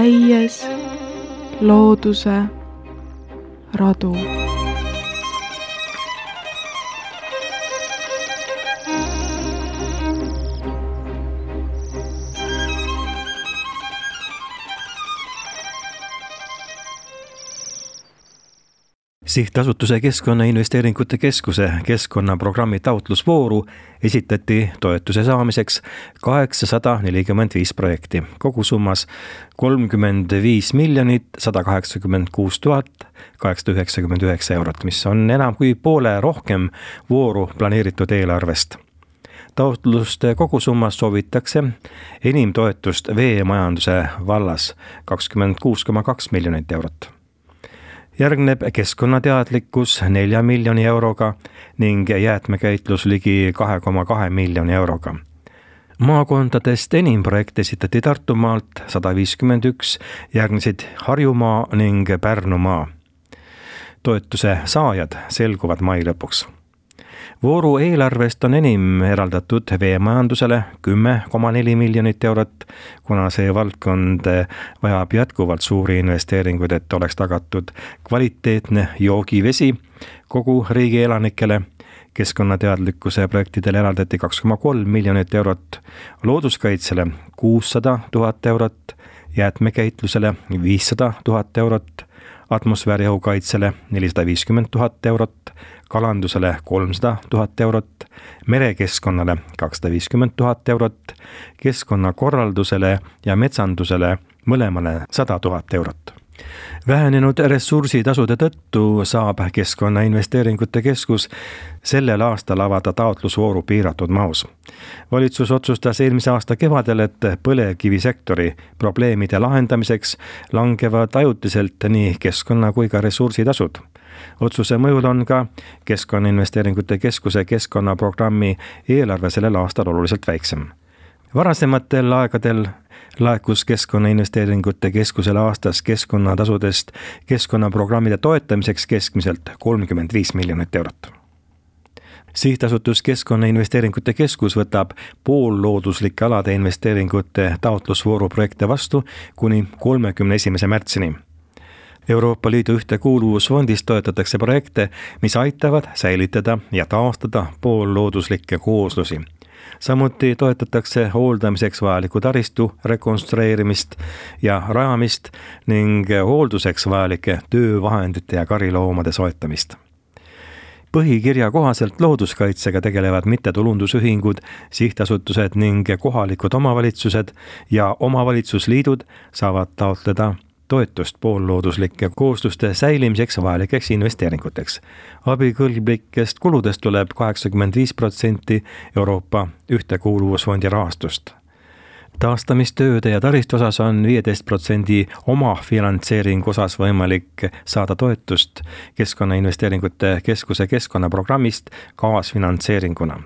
käies looduse radu. Sihtasutuse Keskkonnainvesteeringute Keskuse keskkonnaprogrammi taotlusvooru esitati toetuse saamiseks 845 projekti, kogusummas 35 186 899 eurot, mis on enam kui poole rohkem vooru planeeritud eelarvest. Taotluste kogusummas soovitakse enim toetust veemajanduse vallas 26,2 miljonit eurot. Järgneb keskkonnateadlikkus 4 miljoni euroga ning jäätmekäitlus ligi 2,2 miljoni euroga. Maakondadest enim projekte esitati Tartumaalt 151, järgnesid Harjumaa ning Pärnumaa. Toetuse saajad selguvad mai lõpuks. Vooru eelarvest on enim eraldatud veemajandusele 10,4 miljonit eurot, kuna see valdkond vajab jätkuvalt suuri investeeringuid, et oleks tagatud kvaliteetne joogivesi kogu riigi elanikele. Keskkonnateadlikkuse projektidele eraldati 2,3 miljonit eurot, looduskaitsele 600 000 eurot, jäätmekäitlusele 500 000 eurot, atmosfääriõhu kaitsele 450 000 eurot, kalandusele 300 000 eurot, merekeskkonnale 250 000 eurot, keskkonnakorraldusele ja metsandusele mõlemale 100 000 eurot. Vähenenud ressursitasude tõttu saab Keskkonnainvesteeringute Keskus sellel aastal avada taotlusvooru piiratud mahus. Valitsus otsustas eelmise aasta kevadel, et põlevkivisektori probleemide lahendamiseks langevad ajutiselt nii keskkonna kui ka ressursitasud. Otsuse mõjul on ka Keskkonnainvesteeringute Keskuse keskkonnaprogrammi eelarve sellel aastal oluliselt väiksem. Varasematel aegadel laekus Keskkonnainvesteeringute Keskusele aastas keskkonnatasudest keskkonnaprogrammide toetamiseks keskmiselt 35 miljonit eurot. Sihtasutus Keskkonnainvesteeringute Keskus võtab poollooduslike alade investeeringute taotlusvooru projekte vastu kuni 31. märtsini. Euroopa Liidu ühtekuuluvusfondist toetatakse projekte, mis aitavad säilitada ja taastada poollooduslikke kooslusi. Samuti toetatakse hooldamiseks vajaliku taristu rekonstrueerimist ja rajamist ning hoolduseks vajalike töövahendite ja kariloomade soetamist. Põhikirja kohaselt looduskaitsega tegelevad mittetulundusühingud, sihtasutused ning kohalikud omavalitsused ja omavalitsusliidud saavad taotleda toetust poollooduslike koosluste säilimiseks vajalikeks investeeringuteks. Abikõlblikest kuludest tuleb 85% Euroopa ühtekuuluvusfondi rahastust. Taastamistööde ja taristu osas on 15% omafinantseeringu osas võimalik saada toetust Keskkonnainvesteeringute Keskuse keskkonnaprogrammist kaasfinantseeringuna.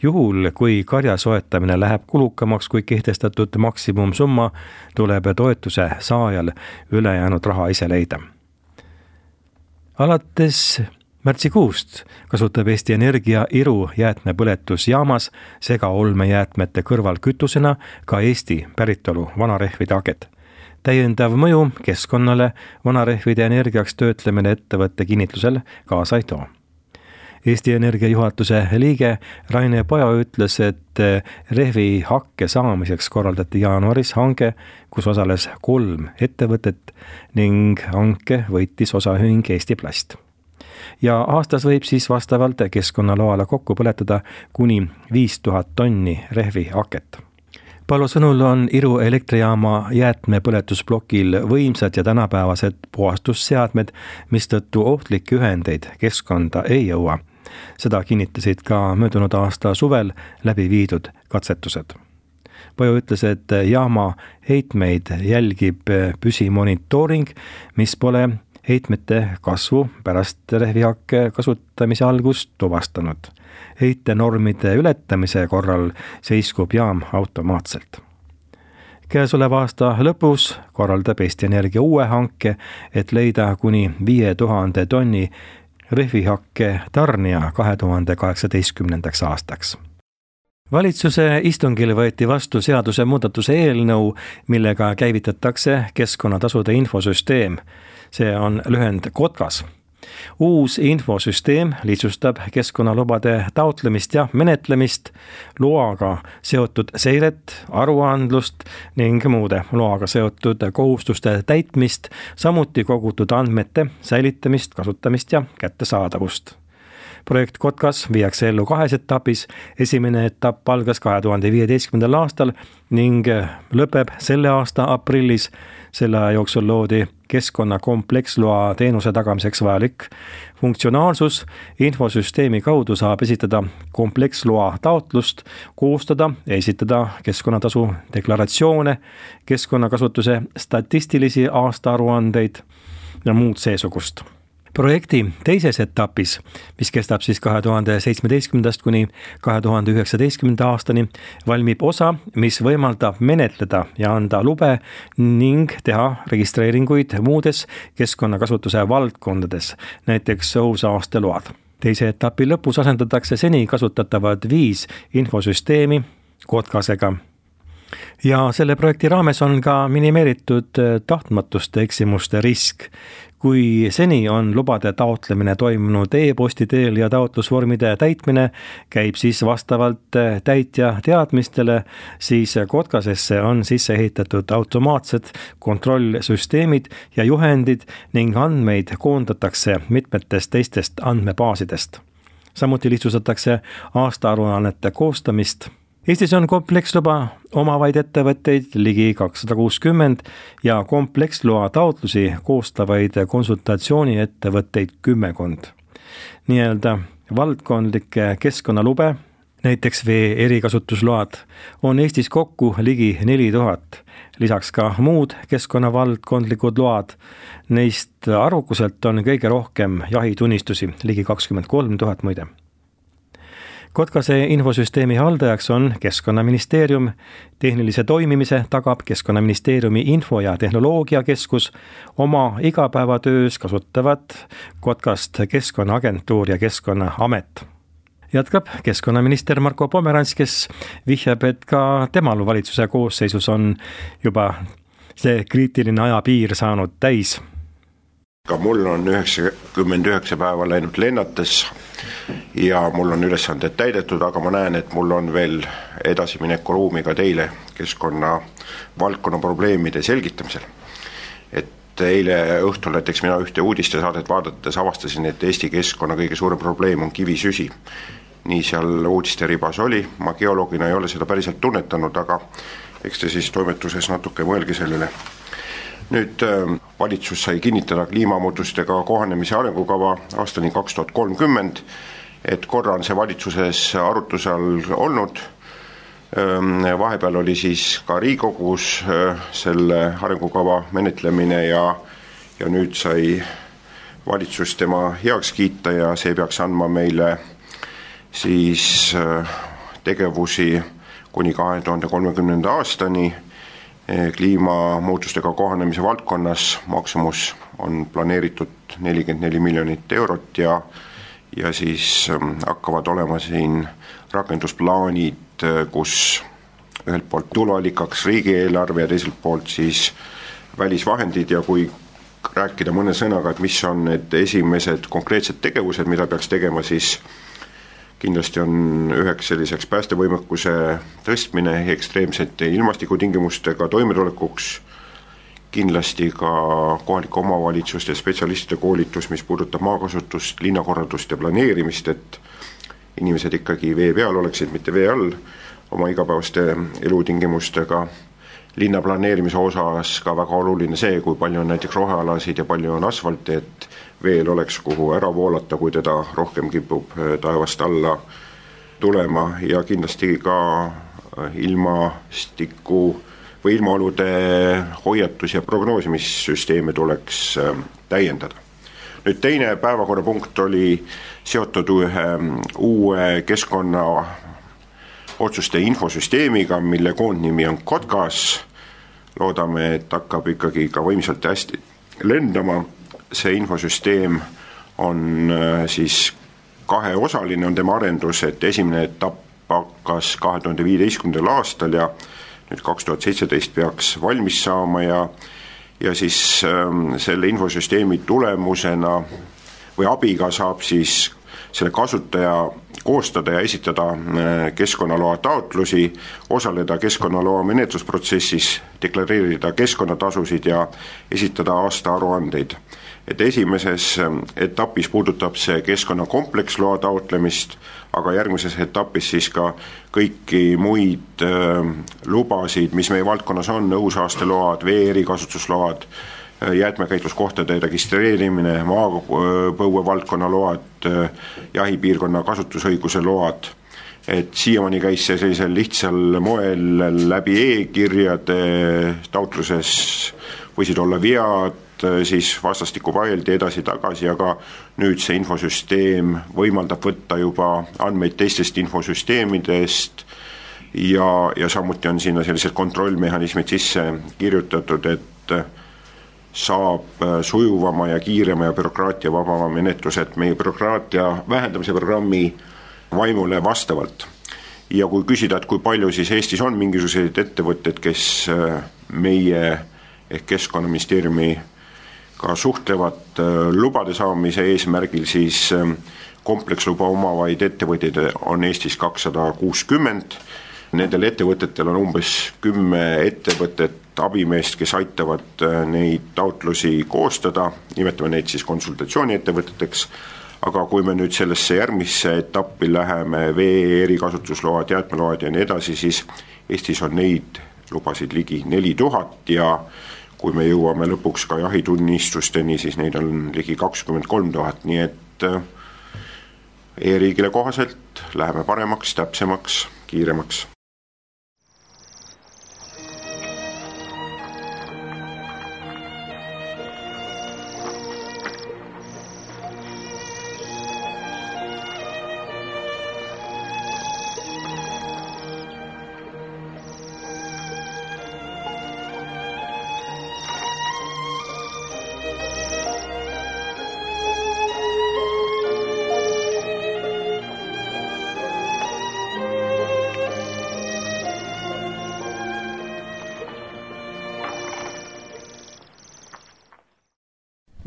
Juhul, kui karja soetamine läheb kulukamaks kui kehtestatud maksimumsumma, tuleb toetuse saajal ülejäänud raha ise leida. Alates märtsikuust kasutab Eesti Energia Iru jäätmepõletusjaamas segaolmejäätmete kõrval kütusena ka Eesti päritolu vanarehvide haket. Täiendav mõju keskkonnale vanarehvide energiaks töötlemine ettevõtte kinnitlusel kaasa ei too. Eesti Energia juhatuse liige Raine Pajo ütles, et rehvi hakke saamiseks korraldati jaanuaris hange, kus osales 3 ettevõtet ning hanke võitis osaühing Eesti Plast. Ja aastas võib siis vastavalt keskkonnaloale kokku põletada kuni 5000 tonni rehvi haket. Paolo sõnul on Iru elektrijaama jäätmepõletusblokil võimsad ja tänapäevased puhastusseadmed, mistõttu ohtlikke ühendeid keskkonda ei jõua. Seda kinnitasid ka möödunud aasta suvel läbi viidud katsetused. Pajo ütles, et jaama heitmeid jälgib püsimonitooring, mis pole heitmete kasvu pärast rehvihakke kasutamise algust tuvastanud. Heitenormide ületamise korral seiskub jaam automaatselt. Käesoleva aasta lõpus korraldab Eesti Energia uue hanke, et leida kuni 5000 tonni rehvihakke tarnija 2018. aastaks. Valitsuse istungil võeti vastu seaduse muudatuse eelnõu, millega käivitatakse keskkonnatasude infosüsteem. See on lühend KOTKAS. Uus infosüsteem lihtsustab keskkonnalubade taotlemist ja menetlemist, loaga seotud seiret, aruandlust ning muude loaga seotud kohustuste täitmist, samuti kogutud andmete säilitamist, kasutamist ja kättesaadavust. Projekt KOTKAS viiakse ellu 2 etapis. Esimene etapp algas 2015. aastal ning lõpeb selle aasta aprillis. Selle aja jooksul loodi keskkonna kompleksloa teenuse tagamiseks vajalik funktsionaalsus. Infosüsteemi kaudu saab esitada kompleksloa taotlust, koostada ja esitada keskkonnatasu deklaratsioone, keskkonnakasutuse statistilisi aastaaruandeid ja muud seesugust. Projekti teises etapis, mis kestab siis 2017. kuni 2019. aastani, valmib osa, mis võimaldab menetleda ja anda lube ning teha registreeringuid muudes keskkonnakasutuse valdkondades, näiteks õhusaasteload. Teise etapi lõpus asendatakse seni kasutatavad 5 infosüsteemi KOTKASega. Ja selle projekti raames on ka minimeeritud tahtmatuste eksimuste risk. Kui seni on lubade taotlemine toimunud e-posti teel ja taotlusvormide täitmine käib siis vastavalt täitja teadmistele, siis KOTKASesse on sisse ehitatud automaatsed kontrollsüsteemid ja juhendid ning andmeid koondatakse mitmetest teistest andmebaasidest. Samuti lihtsustatakse aastaaruannete koostamist. Eestis on kompleksluba omavaid ettevõtteid ligi 260 ja kompleksloa taotlusi koostavaid konsultatsiooniettevõtteid 10. Nii-öelda valdkondlikke keskkonnalube, näiteks vee erikasutusload, on Eestis kokku ligi 4000. Lisaks ka muud keskkonnavaldkondlikud load. Neist arvukuselt on kõige rohkem jahitunnistusi, ligi 23 000 muide. KOTKASe infosüsteemi haldajaks on Keskkonnaministeerium. Tehnilise toimimise tagab Keskkonnaministeeriumi info- ja tehnoloogiakeskus. Oma igapäevatöös kasutavad KOTKASt Keskkonnaagentuur ja Keskkonnaamet. Jätkab keskkonnaminister Marko Pomerants, kes vihjab, et ka temal valitsuse koosseisus on juba see kriitiline ajapiir saanud täis. Ka mul on 99 päeva läinud lennates ja mul on ülesanded täidetud, aga ma näen, et mul on veel edasimineku ruumi ka teile keskkonna valdkonna probleemide selgitamisel. Et eile õhtul näiteks mina ühte uudistesaadet vaadates avastasin, et Eesti keskkonna kõige suurem probleem on kivisüsi. Nii seal uudiste ribas oli, ma geoloogina ei ole seda päriselt tunnetanud, aga eks te siis toimetuses natuke mõelge sellele. Nüüd valitsus sai kinnitada kliimamuutustega kohanemise arengukava aastani 2030, et korra on see valitsuses arutluse all olnud. Vahepeal oli siis ka Riigikogus selle arengukava menetlemine ja nüüd sai valitsus tema heaks kiita ja see peaks andma meile siis tegevusi kuni 2030. aastani. Kliimamuutustega kohanemise valdkonnas maksumus on planeeritud 44 miljonit eurot ja siis hakkavad olema siin rakendusplaanid, kus ühelt poolt tuluallikaks riigieelarve ja teiselt poolt siis välisvahendid ja kui rääkida mõne sõnaga, et mis on need esimesed konkreetsed tegevused, mida peaks tegema, siis kindlasti on üheks selliseks päästevõimekuse tõstmine ekstreemsete ilmastikutingimustega toimetulekuks, kindlasti ka kohalike omavalitsuste spetsialistide koolitus, mis puudutab maakasutust, linnakorraldust ja planeerimist, et inimesed ikkagi vee peal oleksid, mitte vee all oma igapäevaste elutingimustega. Linna planeerimise osas ka väga oluline see, kui palju on näiteks rohealasid ja palju on asfalti, et veel oleks kuhu ära voolata, kui teda rohkem kipub taevast alla tulema ja kindlasti ka ilmastiku või ilmaolude hoiatus- ja prognoosimissüsteeme tuleks täiendada. Nüüd teine päevakorrapunkt oli seotud ühe uue keskkonna otsuste infosüsteemiga, mille koondnimi on KOTKAS. Loodame, et hakkab ikkagi ka võimsalt hästi lendama. See infosüsteem on siis kaheosaline, on tema arendus, et esimene etapp hakkas 2015. aastal ja nüüd 2017 peaks valmis saama ja siis selle infosüsteemi tulemusena või abiga saab siis selle kasutaja koostada ja esitada keskkonnaloa taotlusi, osaleda keskkonnaloa menetlusprotsessis, deklareerida keskkonnatasusid ja esitada aastaaruandeid. Et esimeses etapis puudutab see keskkonnakompleksloa taotlemist, aga järgmises etapis siis ka kõiki muid lubasid, mis meie valdkonnas on, õhusaasteload, vee erikasutusload, jäätmekäitluskohtade registreerimine, maapõue valdkonna load, jahipiirkonna kasutusõiguse load. Et siiamaani käis see sellisel lihtsal moel läbi e-kirjade, taotluses võisid olla vead, siis vastastikku vaieldi edasi-tagasi, aga nüüd see infosüsteem võimaldab võtta juba andmeid teistest infosüsteemidest ja samuti on sinna sellised kontrollmehhanismid sisse kirjutatud, et saab sujuvama ja kiirema ja bürokraatia vabama menetlus, et meie bürokraatia vähendamise programmi vaimule vastavalt. Ja kui küsida, et kui palju siis Eestis on mingisuguseid ettevõtted, kes meie ehk Keskkonnaministeeriumi ka suhtlevad lubade saamise eesmärgil, siis kompleksluba omavaid ettevõtteid on Eestis 260. Nendel ettevõtetel on umbes 10 ettevõtet abimeest, kes aitavad neid taotlusi koostada, nimetame neid siis konsultatsiooniettevõteteks, aga kui me nüüd sellesse järgmisse etappi läheme, vee erikasutusload, jäätmeload ja nii edasi, siis Eestis on neid lubasid ligi 4000 ja kui me jõuame lõpuks ka jahitunnistusteni, siis neid on ligi 23 000, nii et e-riigile kohaselt läheme paremaks, täpsemaks, kiiremaks.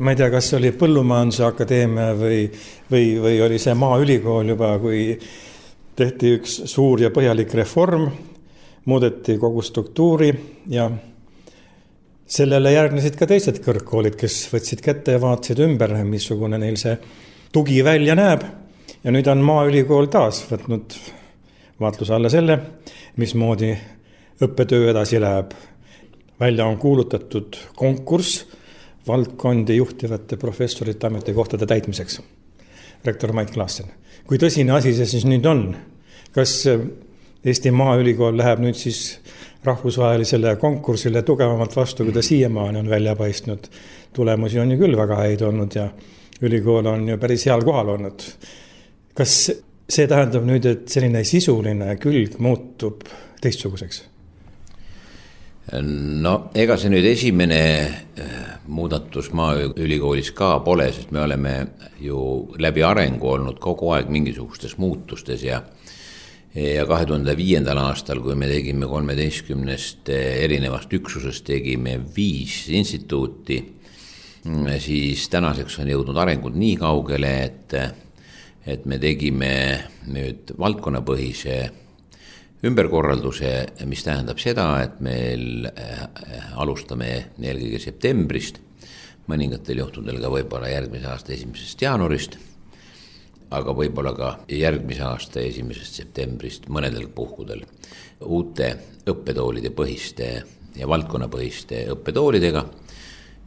Ma ei tea, kas oli Põllumajanduse Akadeemia või oli see Maaülikool juba, kui tehti üks suur ja põhjalik reform, muudeti kogu struktuuri ja sellele järgnesid ka teised kõrgkoolid, kes võtsid kätte ja vaatasid ümber, missugune neil see tugi välja näeb. Ja nüüd on Maaülikool taas võtnud vaatluse alla selle, mismoodi õppetöö edasi läheb. Välja on kuulutatud konkurss valdkondi juhtivate professorite ametikohtade täitmiseks. Rektor Mait Klaassen. Kui tõsine asi see siis nüüd on? Kas Eesti Maaülikool läheb nüüd siis rahvusvahelisele konkursile tugevamalt vastu, kui ta siiamaani on välja paistnud? Tulemusi on ju küll väga häid olnud ja ülikool on ju päris heal kohal olnud. Kas see tähendab nüüd, et selline sisuline külg muutub teistsuguseks? No ega see nüüd esimene muudatus Maaülikoolis ka pole, sest me oleme ju läbi arengu olnud kogu aeg mingisugustes muutustes ja 2005. aastal, kui me tegime 13 erinevast üksusest, tegime 5 instituuti, siis tänaseks on jõudnud arengud nii kaugele, et me tegime nüüd valdkonnapõhise ümberkorralduse, mis tähendab seda, et meil alustame eelkõige septembrist, mõningatel juhtudel ka võib-olla järgmise aasta 1. jaanuarist, aga võib-olla ka järgmise aasta 1. septembrist mõnedel puhkudel uute õppetoolide põhiste ja valdkonnapõhiste õppetoolidega,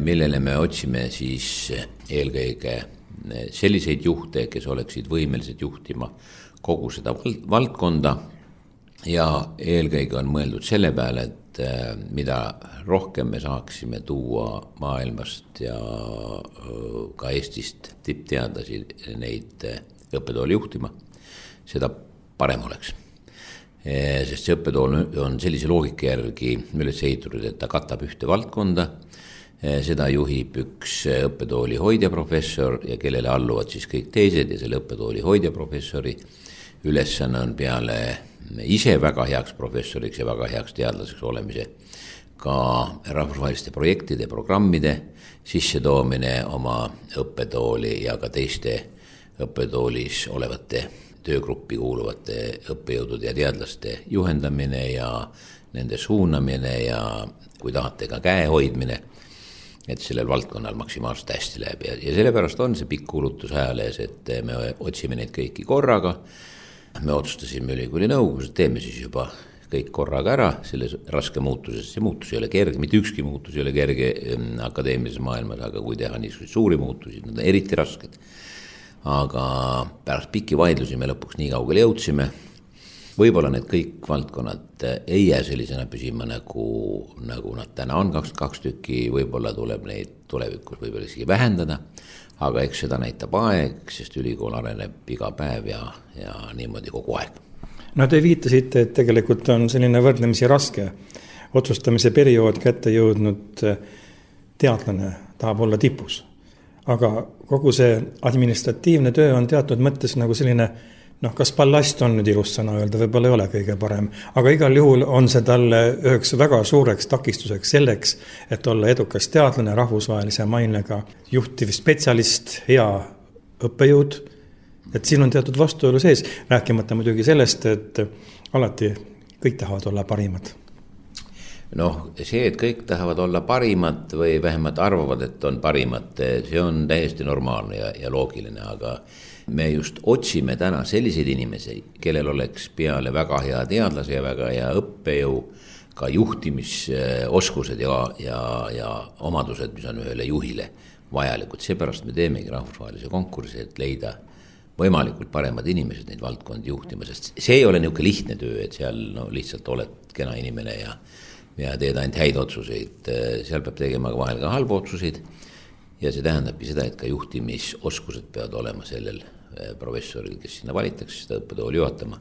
millele me otsime siis eelkõige selliseid juhte, kes oleksid võimelised juhtima kogu seda valdkonda. Ja eelkõige on mõeldud selle peale, et mida rohkem me saaksime tuua maailmast ja ka Eestist tippteadlasi neid õppetooli juhtima, seda parem oleks. Sest see õppetool on sellise loogika järgi üles ehitatud, et ta katab ühte valdkonda, seda juhib üks õppetooli hoidjaprofessor ja kellele alluvad siis kõik teised ja selle õppetooli hoidjaprofessori ülesanne on peale ise väga heaks professoriks ja väga heaks teadlaseks olemise ka rahvusvaheliste projektide ja programmide sissetoomine oma õppetooli ja ka teiste õppetoolis olevate töögruppi kuuluvate õppejõudude ja teadlaste juhendamine ja nende suunamine ja kui tahate ka käe hoidmine, et sellel valdkonnal maksimaalselt hästi läheb ja sellepärast on see pikk kulutus ajalees, et me otsime neid kõiki korraga. Me otsustasime ülikooli nõukogus, et teeme siis juba kõik korraga ära selles raske muutuses. See muutus ei ole kerge, mitte ükski muutus ei ole kerge akadeemilises maailmas, aga kui teha niisuguseid suuri muutusi, need on eriti rasked. Aga pärast pikki vaidlusi me lõpuks nii kaugele jõudsime. Võib-olla need kõik valdkonnad ei jää sellisena püsima, nagu nad täna on, 22 tükki, võib-olla tuleb neid tulevikus võib-olla isegi vähendada. Aga eks seda näitab aeg, sest ülikool areneb iga päev ja niimoodi kogu aeg. No te viitasite, et tegelikult on selline võrdlemisi raske otsustamise periood kätte jõudnud teadlane tahab olla tipus. Aga kogu see administratiivne töö on teatud mõttes nagu selline, kas ballast on nüüd ilus sõna öelda, võib-olla ei ole kõige parem, aga igal juhul on see talle üheks väga suureks takistuseks selleks, et olla edukas teadlane, rahvusvahelise mainega juhtiv spetsialist, hea õppejõud, et siin on teatud vastuolu sees, rääkimata muidugi sellest, et alati kõik tahavad olla parimad. See, et kõik tahavad olla parimad või vähemalt arvavad, et on parimad, see on täiesti normaalne ja loogiline, aga me just otsime täna selliseid inimesi, kellel oleks peale väga hea teadlase ja väga hea õppejõu ka juhtimisoskused ja omadused, mis on ühele juhile vajalikud. Seepärast me teemegi rahvusvahelise konkursi, et leida võimalikult paremad inimesed neid valdkondi juhtima, sest see ei ole niisugune lihtne töö, et seal lihtsalt oled kena inimene ja teed ainult häid otsuseid. Seal peab tegema vahel ka halbu otsuseid ja see tähendabki seda, et ka juhtimisoskused peavad olema sellel professoril, kes sinna valitakse seda õppetooli juhatama,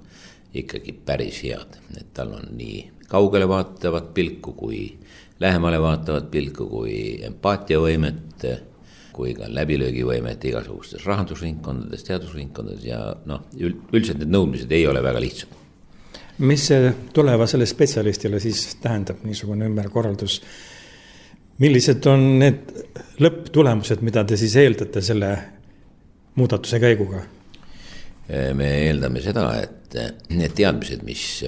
ikkagi päris head. Et tal on nii kaugele vaatavat pilku kui lähemale vaatavat pilku kui empaatiavõimet, kui ka läbilöögivõimet igasugustes rahandusringkondades, teadusringkondades ja üldiselt need nõudmised ei ole väga lihtsad. Mis see tulevasele spetsialistile siis tähendab niisugune ümberkorraldus? Millised on need lõpptulemused, mida te siis eeldate selle muudatuse käiguga? Me eeldame seda, et need teadmised, mis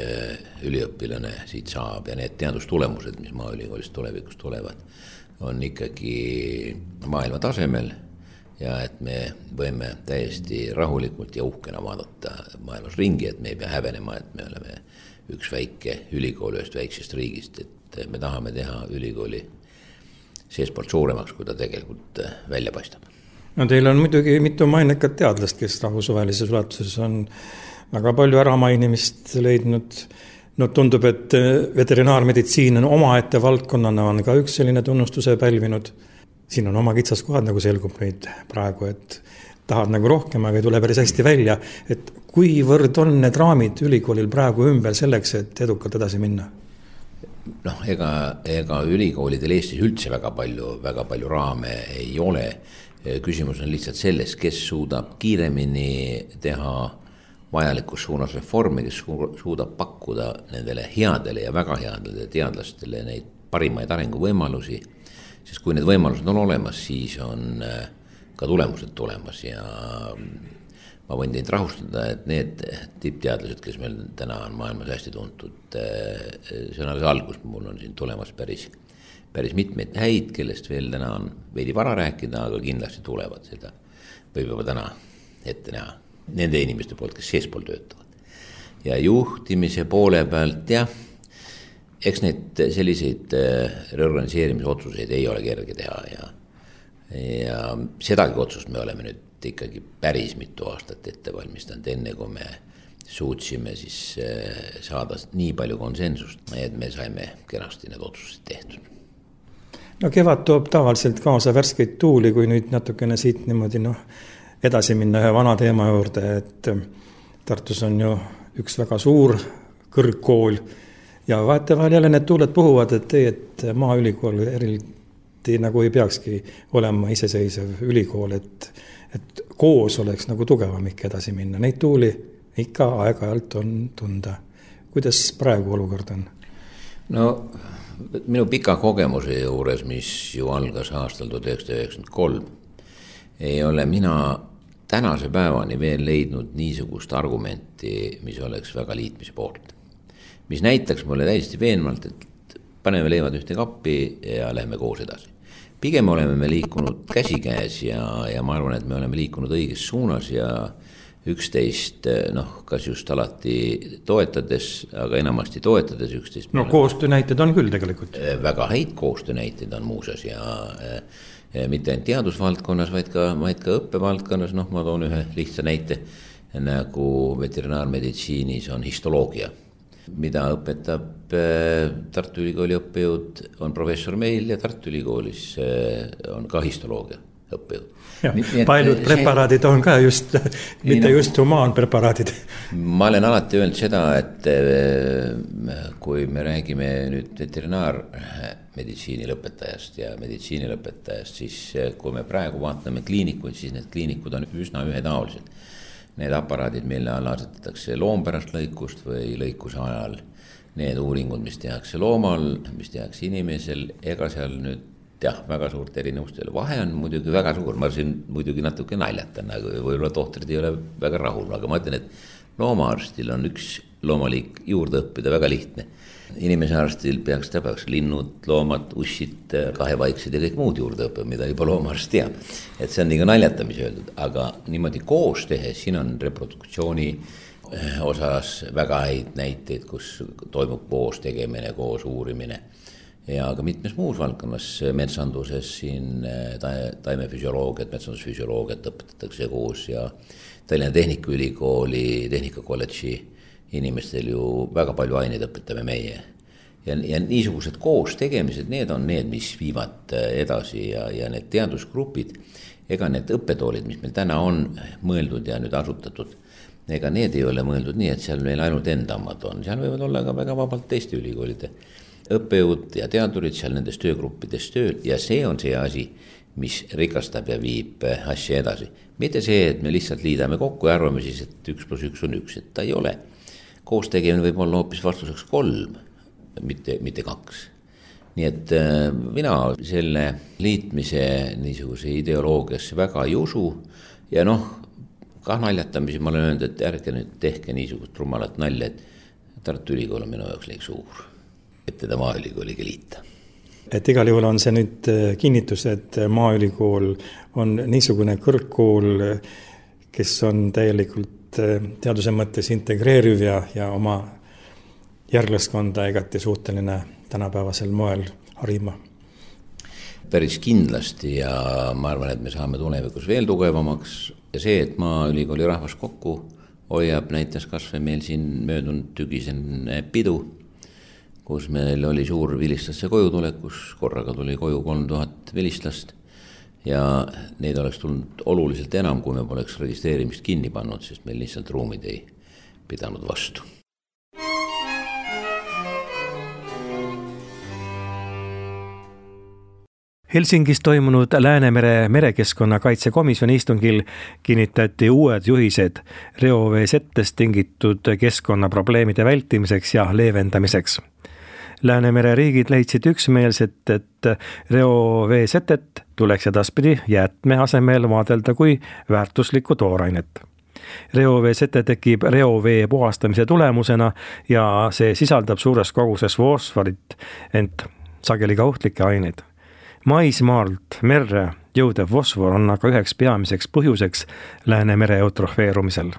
üliõpilane siit saab ja need teadustulemused, mis Maaülikoolist tulevikus tulevad, on ikkagi maailma tasemel ja et me võime täiesti rahulikult ja uhkena vaadata maailmas ringi, et me ei pea häbenema, et me oleme üks väike ülikool ühest väiksest riigist, et me tahame teha ülikooli seespoolt suuremaks, kui ta tegelikult välja paistab. Teil on muidugi mitu mainekat teadlast, kes rahvusvahelises ulatuses on väga palju äramainimist leidnud. Tundub, et veterinaarmeditsiin on omaette valdkonnana on ka üks selline tunnustuse pälvinud. Siin on oma kitsaskohad, nagu selgub neid praegu, et tahad nagu rohkem, aga ei tule päris hästi välja. Et kuivõrd on need raamid ülikoolil praegu ümber selleks, et edukalt edasi minna? Ega ülikoolidel Eestis üldse väga palju raame ei ole. Küsimus on lihtsalt selles, kes suudab kiiremini teha vajalikus suunas reformi, kes suudab pakkuda nendele headele ja väga headele teadlastele neid parimaid arenguvõimalusi, sest kui need võimalused on olemas, siis on ka tulemused tulemas ja ma võin teid rahustada, et need tippteadlased, kes meil täna on maailmas hästi tuntud, see on alles algus, mul on siin tulemas päris mitmeid häid, kellest veel täna on veidi vara rääkida, aga kindlasti tulevad seda. Võib juba täna ette näha nende inimeste poolt, kes seespool töötavad. Ja juhtimise poole pealt, eks need selliseid reorganiseerimise otsuseid ei ole kerge teha ja sedagi otsust me oleme nüüd ikkagi päris mitu aastat ette valmistanud, enne kui me suutsime siis saada nii palju konsensust, et me saime kenasti need otsused tehtud. Kevad toob tavaliselt kaasa värskeid tuuli, kui nüüd natukene siit niimoodi edasi minna ühe vana teema juurde, et Tartus on ju üks väga suur kõrgkool ja vahetevahel jälle need tuuled puhuvad, et Maaülikool eriti nagu ei peakski olema iseseisev ülikool, et koos oleks nagu tugevam ikka edasi minna. Neid tuuli ikka aeg-ajalt on tunda. Kuidas praegu olukord on? No minu pika kogemuse juures, mis ju algas aastal 1993, ei ole mina tänase päevani veel leidnud niisugust argumenti, mis oleks väga liitmise poolt. Mis näitaks mulle täiesti veenvalt, et paneme leivad ühte kappi ja lähme koos edasi. Pigem oleme me liikunud käsikäes ja ma arvan, et me oleme liikunud õiges suunas ja üksteist, kas just alati toetades, aga enamasti toetades üksteist. No koostöönäited on küll tegelikult. Väga häid koostöönäited on muuseas ja mitte ainult teadusvaldkonnas, vaid ka õppevaldkonnas. Ma toon ühe lihtsa näite, nagu veterinaarmeditsiinis on histoloogia, mida õpetab Tartu Ülikooli õppejõud, on professor meil ja Tartu Ülikoolis on ka histoloogia õppejõud. Paljud preparaadid on ka just, mitte just humaanpreparaadid. Ma olen alati öelnud seda, et kui me räägime nüüd veterinaarmeditsiini lõpetajast ja meditsiini lõpetajast, siis kui me praegu vaatame kliinikuid, siis need kliinikud on üsna ühetaolised. Need aparaadid, mille all asetatakse loompärast lõikust või lõikuse ajal, need uuringud, mis tehakse loomal, mis tehakse inimesel, ega seal nüüd väga suurt erinevustele. Vahe on muidugi väga suur, ma siin muidugi natuke naljatan, aga võib-olla tohtrid ei ole väga rahul, aga ma ütlen, et loomaarstil on üks loomaliik juurde õppida väga lihtne. Inimese arstil peaks linnud, loomad, ussid, kahevaiksed ja kõik muud juurde õppida, mida juba loomaarst teab. Et see on nii ka naljatamise öeldud, aga niimoodi koos tehes, siin on reproduktsiooni osas väga häid näiteid, kus toimub koos tegemine, koos uurimine. Ja ka mitmes muus valdkonnas metsanduses siin taimefüsioloogiat, metsandusfüsioloogiat õpetatakse koos ja Tallinna Tehnikaülikooli, Tehnikakolledži inimestel ju väga palju aineid õpetame meie. Ja niisugused koos tegemised, need on need, mis viivad edasi ja need teadusgrupid, ega need õppetoolid, mis meil täna on mõeldud ja nüüd asutatud, ega need ei ole mõeldud nii, et seal meil ainult endamad on. Seal võivad olla ka väga vabalt teiste ülikoolide õppejõud ja teadurid seal nendes töögruppides tööl ja see on see asi, mis rikastab ja viib asja edasi. Mitte see, et me lihtsalt liidame kokku ja arvame siis, et 1+1 on 1, et ta ei ole. Koos tegemine võib olla hoopis vastuseks 3, mitte 2. Nii et mina selle liitmise niisuguse ideoloogiasse väga ei usu ja kah naljatamisi ma olen öelnud, et ärge nüüd tehke niisugust rumalat nalja, et Tartu Ülikool on minu jaoks liiga suur, et teda Maaülikooliga liita. Et igal juhul on see nüüd kinnitus, et Maaülikool on niisugune kõrgkool, kes on täielikult teaduse mõttes integreeriv ja oma järglaskonda igati suhteline tänapäevasel moel harima. Päris kindlasti ja ma arvan, et me saame tulevikus veel tugevamaks ja see, et Maaülikooli rahvas kokku hoiab, näitas kasvõi meil siin möödunud tügisen pidu, kus meil oli suur vilistlasse koju tulek, kus korraga tuli koju 3000 vilistlast ja neid oleks tulnud oluliselt enam, kui me poleks registreerimist kinni pannud, sest meil lihtsalt ruumid ei pidanud vastu. Helsingis toimunud Läänemere merekeskkonnakaitsekomisjoni istungil kinnitati uued juhised reoveesettest tingitud keskkonnaprobleemide vältimiseks ja leevendamiseks. Läänemere riigid leidsid üksmeelselt, et reoveesetet tuleks edaspidi jäätme asemel vaadelda kui väärtuslikku toorainet. Reoveesete tekib reovee puhastamise tulemusena ja see sisaldab suures koguses fosforit, ent sageli ka ohtlikke aineid. Maismaalt merre jõudev fosfor on aga üheks peamiseks põhjuseks Läänemere eutrofeerumisel.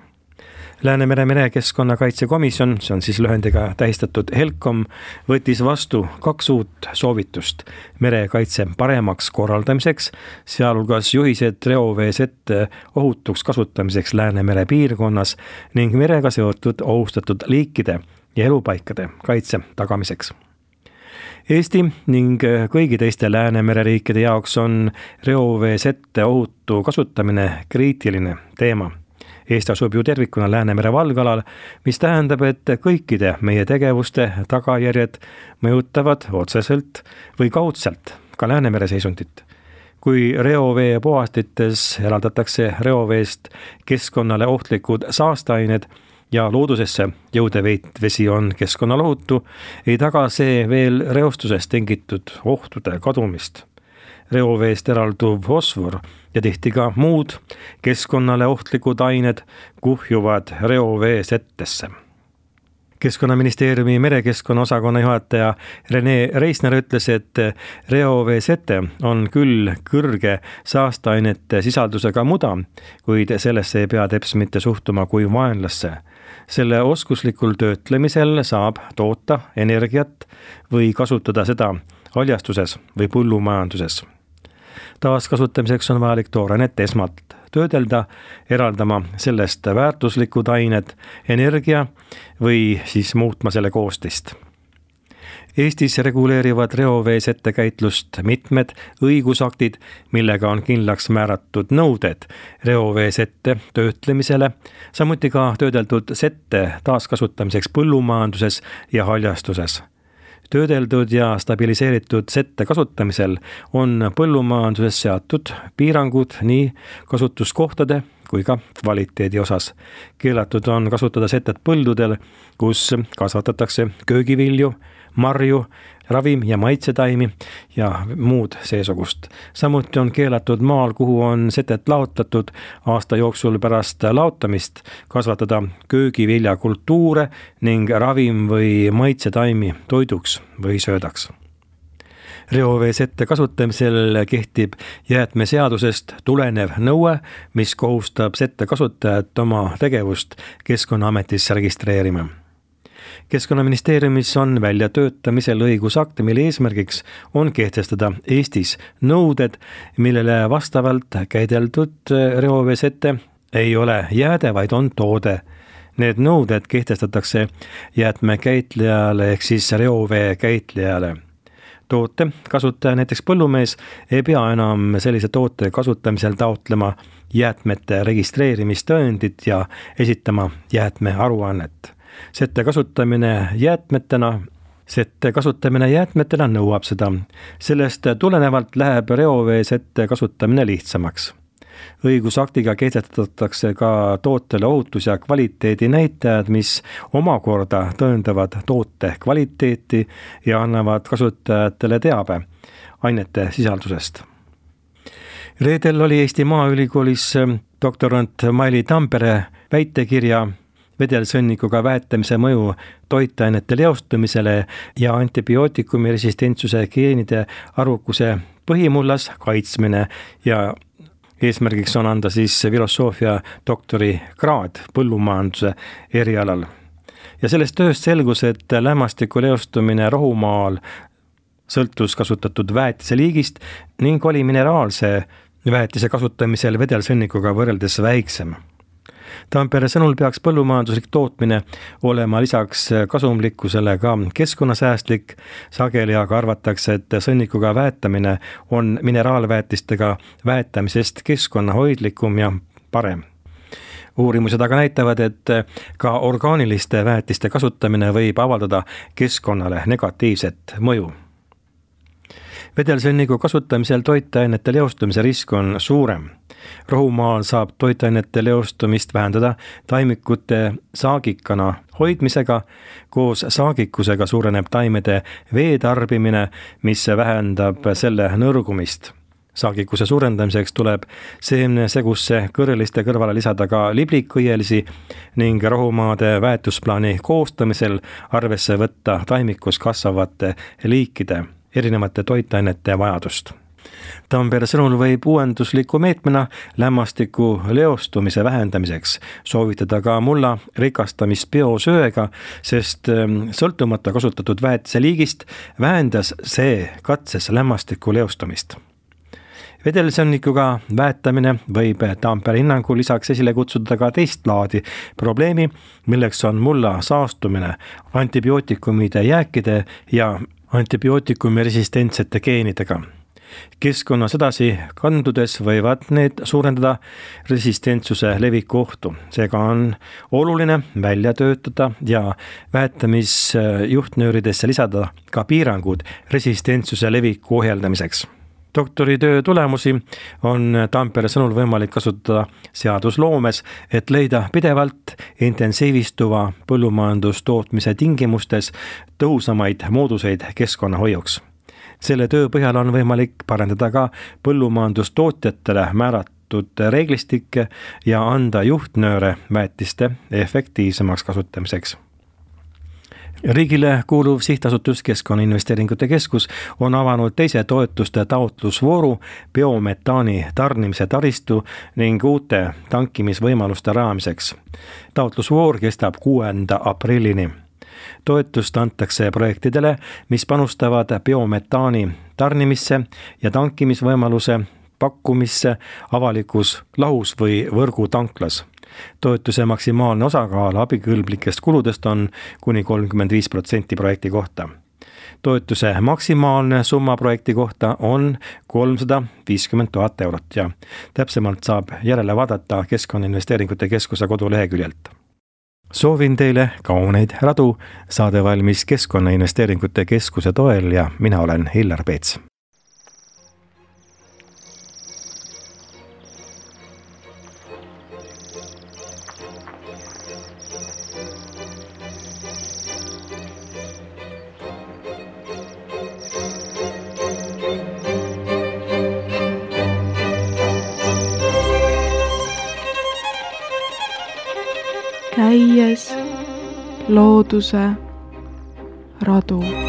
Läänemere merekeskkonnakaitsekomisjon, see on siis lühendiga tähistatud HELCOM, võttis vastu 2 uut soovitust merekaitse paremaks korraldamiseks, sealhulgas juhised reoveesette ohutuks kasutamiseks Läänemere piirkonnas ning merega seotud ohustatud liikide ja elupaikade kaitse tagamiseks. Eesti ning kõigi teiste Läänemere riikide jaoks on reoveesette ohutu kasutamine kriitiline teema. Eesti asub ju tervikuna Läänemere valgalal, mis tähendab, et kõikide meie tegevuste tagajärjed mõjutavad otseselt või kaudselt ka Läänemere seisundit. Kui reovee puhastites eraldatakse reoveest keskkonnale ohtlikud saasteained, ja loodusesse jõudeveit vesi on keskkonnalohutu, ei taga see veel reostusest tingitud ohtude kadumist. Reoveest eralduv fosfor ja tihti ka muud keskkonnale ohtlikud ained kuhjuvad reovee settesse. Keskkonnaministeeriumi merekeskkonna osakonna juhataja Rene Reisner ütles, et reovee sete on küll kõrge saasteainete sisaldusega muda, kuid sellesse ei pea teps mitte suhtuma kui vaenlasse. Selle oskuslikul töötlemisel saab toota energiat või kasutada seda haljastuses või põllumajanduses. Taaskasutamiseks on vajalik toorainet esmalt töödelda, eraldama sellest väärtuslikud ained energia või siis muutma selle koostist. Eestis reguleerivad reovee settekäitlust mitmed õigusaktid, millega on kindlaks määratud nõuded reovee sette töötlemisele, samuti ka töödeldud sette taaskasutamiseks põllumajanduses ja haljastuses. Töödeldud ja stabiliseeritud sette kasutamisel on põllumajanduses seatud piirangud nii kasutuskohtade kui ka kvaliteedi osas. Keelatud on kasutada setet põldudel, kus kasvatatakse köögivilju, marju, ravim- ja maitsetaimi ja muud seesugust. Samuti on keelatud maal, kuhu on setet laotatud aasta jooksul pärast laotamist, kasvatada köögiviljakultuure ning ravim- või maitsetaimi toiduks või söödaks. Reovee sette kasutamisel kehtib jäätmeseadusest tulenev nõue, mis kohustab sette kasutajat oma tegevust Keskkonnaametis registreerima. Keskkonnaministeeriumis on väljatöötamisel õigusakt, mille eesmärgiks on kehtestada Eestis nõuded, millele vastavalt käideldud reovee sete ei ole jääde, vaid on toode. Need nõuded kehtestatakse jäätmekäitlejale ehk siis reovee käitlejale. Toote kasutaja, näiteks põllumees, ei pea enam sellise toote kasutamisel taotlema jäätmete registreerimistõendit ja esitama jäätmearuannet. Sette kasutamine jäätmetena nõuab seda. Sellest tulenevalt läheb reovee sette kasutamine lihtsamaks. Õigusaktiga kehtestatakse ka tootele ohutus- ja kvaliteedi näitajad, mis omakorda tõendavad toote kvaliteeti ja annavad kasutajatele teabe ainete sisaldusest. Reedel oli Eesti Maaülikoolis doktorant Maili Tampere väitekirja vedelsõnnikuga väetamise mõju toitainete leostumisele ja antibiootikumi resistentsuse geenide arvukuse põhimullas kaitsmine ja eesmärgiks on anda siis filosoofia doktori kraad põllumajanduse erialal. Ja sellest tööst selgus, et lämmastiku leostumine rohumaal sõltus kasutatud väetise liigist ning oli mineraalse väetise kasutamisel vedelsõnnikuga võrreldes väiksem. Tampere sõnul peaks põllumajanduslik tootmine olema lisaks kasumlikkusele ka keskkonnasäästlik. Sageli aga arvatakse, et sõnnikuga väetamine on mineraalväetistega väetamisest keskkonnahoidlikum ja parem. Uurimused aga näitavad, et ka orgaaniliste väetiste kasutamine võib avaldada keskkonnale negatiivset mõju. Vedelsõnniku kasutamisel toitainete leostumise risk on suurem. Rohumaal saab toitainete leostumist vähendada taimikute saagikana hoidmisega. Koos saagikusega suureneb taimede veetarbimine, mis vähendab selle nõrgumist. Saagikuse suurendamiseks tuleb seemnesegusse kõrreliste kõrvale lisada ka liblikõielisi ning rohumaade väetusplaani koostamisel arvesse võtta taimikus kasvavate liikide erinevate toitainete vajadust. Tampere sõnul võib uuendusliku meetmena lämmastiku leostumise vähendamiseks soovitada ka mulla rikastamist biosöega, sest sõltumata kasutatud väetise liigist vähendas see katses lämmastiku leostumist. Vedelsõnnikuga väetamine võib Tampere hinnangul lisaks esile kutsuda ka teist laadi probleemi, milleks on mulla saastumine antibiootikumide jääkide ja antibiootikumi resistentsete geenidega. Keskkonnas edasi kandudes võivad need suurendada resistentsuse leviku ohtu. Seega on oluline välja töötada ja väetamisjuhtnööridesse lisada ka piirangud resistentsuse leviku ohjeldamiseks. doktoritöö tulemusi on Tampere sõnul võimalik kasutada seadusloomes, et leida pidevalt intensiivistuva põllumajandustootmise tingimustes tõhusamaid mooduseid keskkonnahoiuks. Selle töö põhjal on võimalik parandada ka põllumajandustootjatele määratud reeglistikke ja anda juhtnööre väetiste efektiivsemaks kasutamiseks. Riigile kuuluv sihtasutus Keskkonnainvesteeringute Keskus on avanud teise toetuste taotlusvooru biometaani tarnimise taristu ning uute tankimisvõimaluste rajamiseks. Taotlusvoor kestab 6. aprillini. Toetust antakse projektidele, mis panustavad biometaani tarnimisse ja tankimisvõimaluse pakkumisse avalikus lahus või võrgutanklas. Toetuse maksimaalne osakaal abikõlblikest kuludest on kuni 35% projekti kohta. Toetuse maksimaalne summa projekti kohta on 350 000 eurot ja täpsemalt saab järele vaadata Keskkonnainvesteeringute Keskuse koduleheküljelt. Soovin teile kauneid radu, saade valmis Keskkonnainvesteeringute Keskuse toel ja mina olen Hillar Peets. Käies looduse radu.